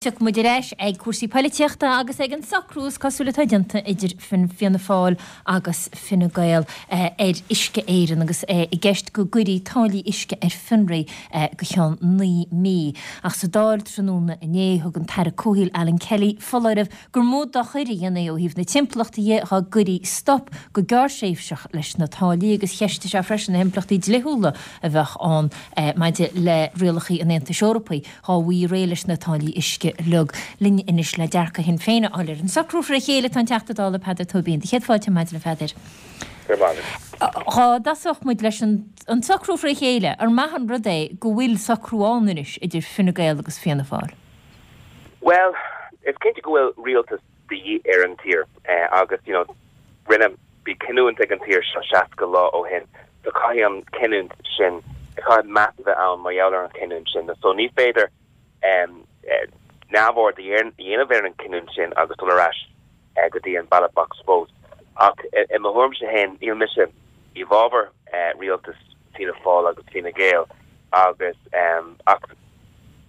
Tiocfaidh muid ar ais ag cúrsaí poilitíochta agus ag an socrú is cosúil atá déanta idir Fianna Fáil agus Fine Gael ar Uisce Éireann agus é i gceist go gcuirfí táillí uisce ar fionraí go ceann 9 mí. Ach sa Dáil tráthnóna inné thug an tAire Comhshaoil Alan Kelly foláireamh gur mó dochair a dhéanfaí ó thaobh na timpeallachta dhe dhá gcuirí stop go gearrthréimhseach leis na táillí agus cheistigh sé freisin na himpleachtaí dlíthiúla a bheadh ann maidir le rialacha an Aontais Eorpaigh dhá bhfaighí réidh leis na táillí uisce uilig. Linn anois le dearcadh Shinn Féin a fháil ar an socrú fré chéile tá an Teachta Dála Peadar Tóibín. Do chéad fáilte ar maidin a Pheadair. Go raibh maith agat. Dhá dtosódh muid leis an socrú fré chéile, ar maith an rud é go bhfuil socrú ann anois idir Fine Gael agus Fianna Fáil? Bhuel, is cinnte go bhfuil rialtas de dhíth ar an tír agus, you know, rinne, bhí cinniúint ag an tír seo 60 lá ó shin, so caithfidh an cinniúint sin, caithfidh meas a bheith ann mar gheall ar an chinniúint sin. So ní féidir neamhaird a dhéanamh ar an chinniúint sin agus dul ar ais go dtí an ballot box fós. Ach i mo thuairimse féin, níl mise i bhfabhar rialtas Fianna Fáil agus Fine Gael agus ach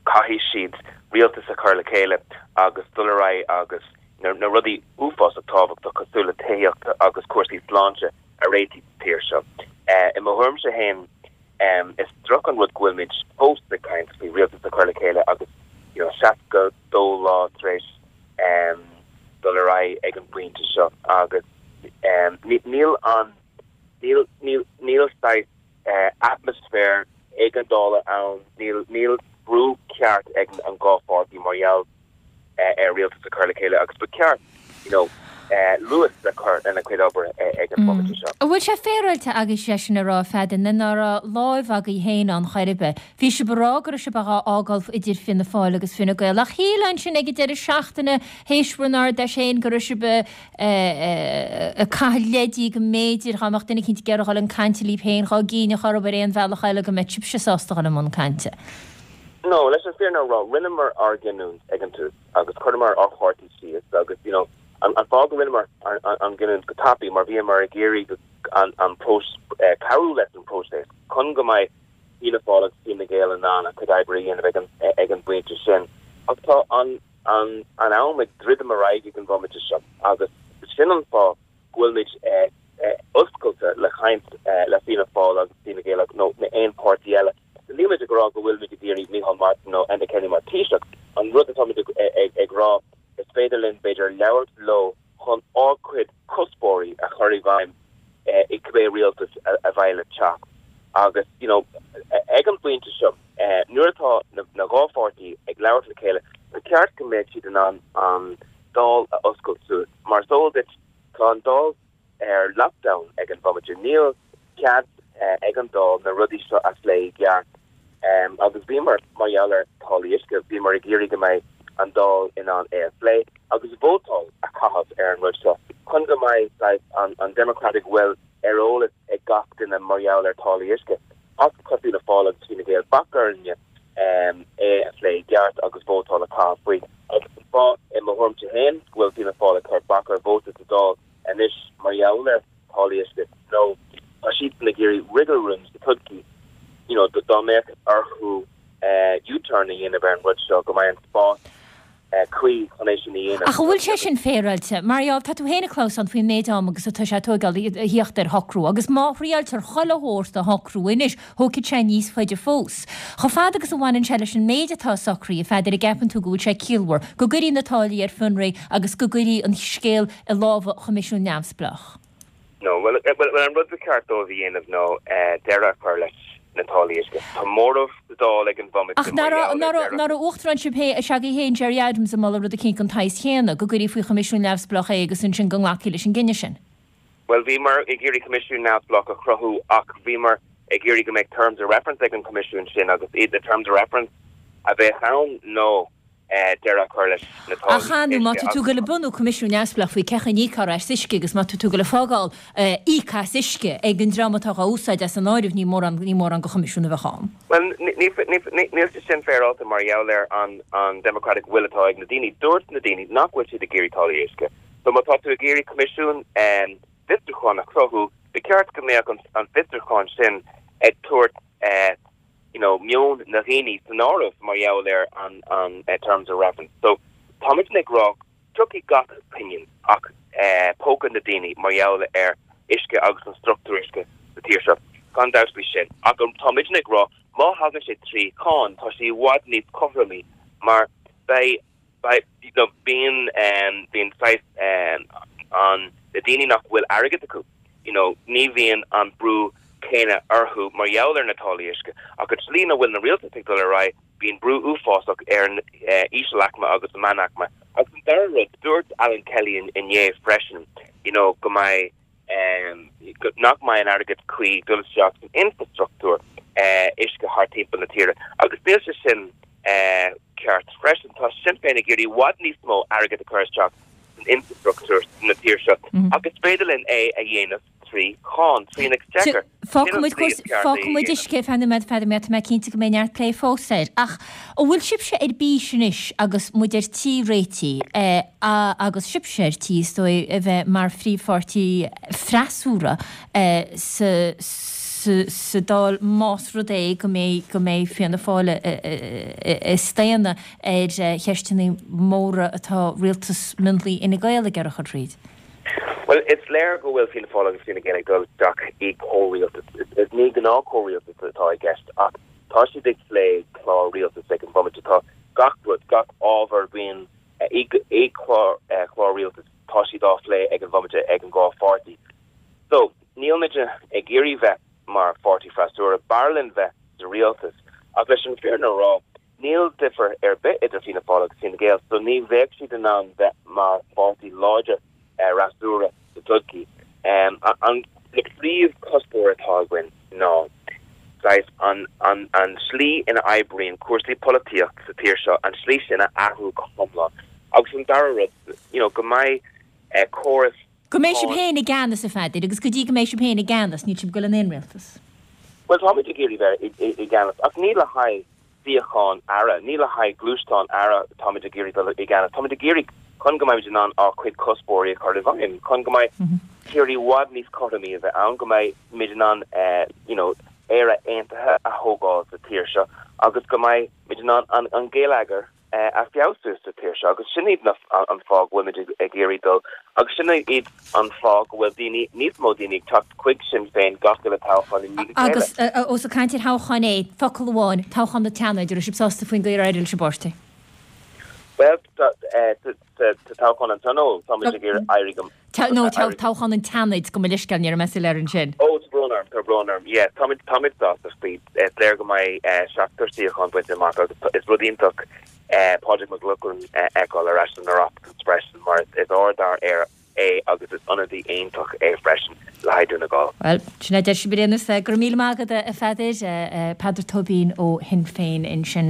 caithfidh siad rialtas a chur le chéile agus dul ar aghaidh agus na rudaí uafásach tábhachtach cosúil le tithíocht agus cúrsaí sláinte a réiteach sa tír seo. I mo thuairimse féin, is droch an rud go bhfuilimid fós ag caint faoi rialtas a chur le chéile agus you know 62 lá tar éis dul ar aghaidh ag an bpointe seo agus níl an níl níl níl saghas atmaisféar éigeandála ann, níl níl brú ceart ag an dhá pháirtí mar gheall ar rialtas a chur le chéile agus ba cheart you know luas a chur lena gcuid obair ag an bhomaite seo. An bhfuil sé féaráilte agaibhse é sin a rá, a Pheadair, nuair ná raibh láimh agaibh féin ann chor ar bith? Bhí sibh ag rá go raibh sibh á fhágáil idir Fianna Fáil agus Fine Gael ach shílfeá ansin ag an deireadh seachtaine théis bhur n-Ard-Fheis féin go raibh sibh ag caitheamh leidí go mb'fhéidir dhá mbeadh duine eicínt ag iarraidh dhul chun cainte libh féin dhá gcinnfeadh oraibh ar aon bhealach eile go mbeadh sibhse sásta dhul i mbun cainte. No, leis an fírinne a rá, rinneamar ár gcinniúint ag an tús agus chuireamar ár chártaí síos agus, you know, an fáth go rinneamar an gcinniúint go tapaidh mar bhíomar ag iarraidh an cabhrú leis an próiseas chun go mbeidh Fianna Fáil agus Fine Gael in ann a gcuid oibre a dhéanamh ag an bpointe sin. Ach tá an an am ag druidim ar aghaidh ag an bhomaite seo agus sin an fáth go bhfuilimid oscailte le caint le Fianna Fáil agus Fine Gael nó aon páirtí eile. Nílimid ag rá go bhfuilimid ag iarraidh Micheál Martin nó Enda Kenny mar Taoiseach. An rud atáimid ag rá, is féidir linn b'fhéidir labhairt leo chun ár gcuid cuspóirí a chur i bhfeidhm i cibé rialtas a bheidh le teacht. Agus, you know, ag an bpointe seo, nuair atá na dhá pháirtí ag labhairt le chéile, ba cheart go mbeadh siad in ann an Dáil a oscailt suas. Mar is eol duit, tá an Dáil ar lockdown ag an bhomaite. Níl cead ag an Dáil na rudaí seo a phlé i gceart. Agus bhíomar, mar gheall ar táillí uisce, bhíomar ag iarraidh go mbeidh an Dáil in ann é a phlé agus vótáil a chaitheamh ar an rud seo chun go mbeidh saghas an democratic will ar eolas ag gach duine mar gheall ar táillí uisce. Ach chuir Fianna Fáil agus Fine Gael bac orainne é a phlé i gceart agus vótáil a chaitheamh faoi. Agus an fáth, i mo thuairimse féin, go bhfuil Fianna Fáil ag cur bac ar vóta sa Dáil anois mar gheall ar tháillí uisce nó tá siadsan ag iarraidh wriggle room sa todhchaí, you know, dá mbeadh orthu U-turn a dhéanamh ar an rud seo, go mbeidh an spás cuí chun é sin a dhéanamh. Ach an bhfuil sé sin féaráilte? Mar gheall, tá tú féin ag clamhsán faoin méid ama agus atá sé ag tóigeáil a thíocht ar shocrú, agus má thriáiltear chuile shórt a shocrú anois, thógfaidh sé níos faide fós. Chomh fada agus a bhaineann sé leis an méid atá socraithe, a Pheadair, an gceapann tú go bhfuil sé ciallmhar go gcuirfí na táillí ar fionraí agus go gcuirfí an scéal i lámha choimisiún neamhspleách? No, bhuel, an rud ba cheart dóibh a dhéanamh ná deireadh a chur leis na táillí uisce. Tá móramh sa Dáil ag an bhomaite Ach mar gheall ar deireadh. Ach ná raibh uachtarán sibh s'agaibh féin, Gerry Adams, ag moladh rud eicínt den tsaghas chéanna, go gcuirfí faoi choimisiún neamhspleách é agus ansin go nglacfaí leis an gcinneadh sin? Bhuel, bhíomar ag iarraidh coimisiún neamhspleách a chruthú ach bhíomar ag iarraidh go mbeadh terms of reference ag an choimisiún sin agus iad na terms of reference a bheadh ann ná deireadh a chur leis na táillí Ach ar ndóigh, má tá tú ag goil ag bunú coimisiún neamhspleách faoi cé chaoi a n-íocfar as uisce agus má tá tú ag goil ag fágáil íoc as uisce ag an dream atá dhá úsáid as an áireamh, ní mórán, ní mórán de choimisiún a bheadh ann. Bhuel, níl sé sin féaráilte mar gheall ar an democratic will atá ag na daoine. Dúirt na daoine nach bhfuil siad ag iarraidh táillí uisce. So má tá tú ag iarraidh coimisiún fiosrúcháin a chruthú, ba cheart go mbeadh an fiosrúchán sin ag tabhairt. you know, meon na dhaoine san áireamh mar gheall ar an an terms of reference. So táimidne ag rá tiocfaidh gach pingin as póca na daoine mar gheall ar uisce agus an struchtúr uisce sa tír seo, gan dabht faoi sin. Ach táimidne ag rá má thagann sé trí cháin tá sé i bhfad níos cothromaí mar beidh beidh you know bíonn bíonn saghas an na daoine nach bhfuil airgead acu you know ní bhíonn an brú céanna orthu mar gheall ar na táillí uisce ach an tslí ina bhfuil na rialtais ag dul ar aghaidh bíonn brú uafásach ar an ísealaicme agus an meánaicme. Agus an dara rud, dúirt Alan Kelly inné freisin you know go mbeidh nach mbeidh an airgead cuí ag dul isteach san infrastruchtúr uisce thart timpeall na tíre agus níl sé sin ceart freisin. Tá Sinn Féin ag iarraidh i bhfad níos mó airgead a chur isteach san infrastruchtúr na tíre seo ach is féidir linn é a dhéanamh trí cháin, trí an exchequer. Fágfaidh muid uisce ar feadh nóiméad, a Pheadair, mar tá mé cinnte go mbeidh neart plé fós air. Ach an bhfuil sibhse ar bís anois agus muid ar tí réitigh, agus sibhse ar tí, is dóigh, a bheith mar phríomhpháirtí freasúra sa sa Dáil más rud é go mbeidh go mbeidh Fianna Fáil ag staonadh ar cheisteanna móra atá rialtas mionlaigh Fhine Gael ag iarraidh a chur thríd? Bhuel, is léir go bhfuil Fianna Fáil agus Fine Gael ag dul isteach i gcomhrialtas. Ní gnáth-chomhrialtas atá i gceist ach tá siad ag plé clár rialtais ag an bhomaite. Tá gach rud, gach ábhar a bhíonn i gclár rialtais, tá siad á phlé ag an bhomaite ag an dhá pháirtí. So, níl muid ag iarraidh bheith mar pháirtí freasúra, b'fhearr linn bheith sa rialtas. Ach leis an bhfírinne a rá, Níl difear ar bith idir Fianna Fáil agus Fine Gael so ní bheadh siad in ann bheith mar pháirtí láidir fhreasúra sa todhchaí. An príomhchuspóir atá againn ná saghas an an slí ina oibríonn cúrsaí polaitíocht sa tír seo, an slí sin a athrú go hiomlán. Agus an dara rud, you know, go mbeidh córas Go mbeidh sibh féin i gceannas, a Pheadair, agus go dtí go mbeidh sibh féin i gceannas, níl sibh ag dul in aon rialtas. Bhuel, táimid ag iarraidh bheith i gceannas, ach ní le haghaidh suíochán aire, ní le haghaidh gluaisteán aire táimid ag iarraidh dul i gceannas. Táimid ag iarraidh chun go mbeimid in ann ár gcuid cuspóirí a chur i bhfeidhm, chun go mbeidh tír i bhfad níos cothromaí a bheith ann, go mbeimid in ann you know Éire aontaithe a thógáil sa tír seo agus go mbeimid in ann an geilleagar a feabhsú sa tír seo agus sin iad an fáth go bhfuilimid ag iarraidh dul agus sin iad an fáth go bhfuil daoine, níos mó daoine ag teacht chuig Sinn Féin gach uile toghchán i ndiaidh a chéile. Agus ós ag caint ar thoghcháin é, focal amháin, toghchán an tSeanaid, an raibh sibh sásta faoin gcaoi ar éirigh leis an bpáirtí? Bhuel, sa toghchán an Tionóil, táimid ag iarraidh éirí go. No, toghchán an tSeanaid, gabh mo leithscéal, ní raibh mé soiléir ansin. Ó, tá brón orm, tá brón orm. Yeah, táimid, táimid sásta faoi. Is léir go mbeidh seachtar suíochán bainte amach agus is rud iontach Pádraig Mac Lochlainn a fheiceáil ar ais san Oireachtas freisin mar is ardfhear é agus is ionadaí iontach é freisin le haghaidh Dún na nGall. Bhuel, sin é a deir sibh ar aon nós. Go raibh míle maith agat, a Pheadair. Peadar Tóibín ó Shinn Féin ansin.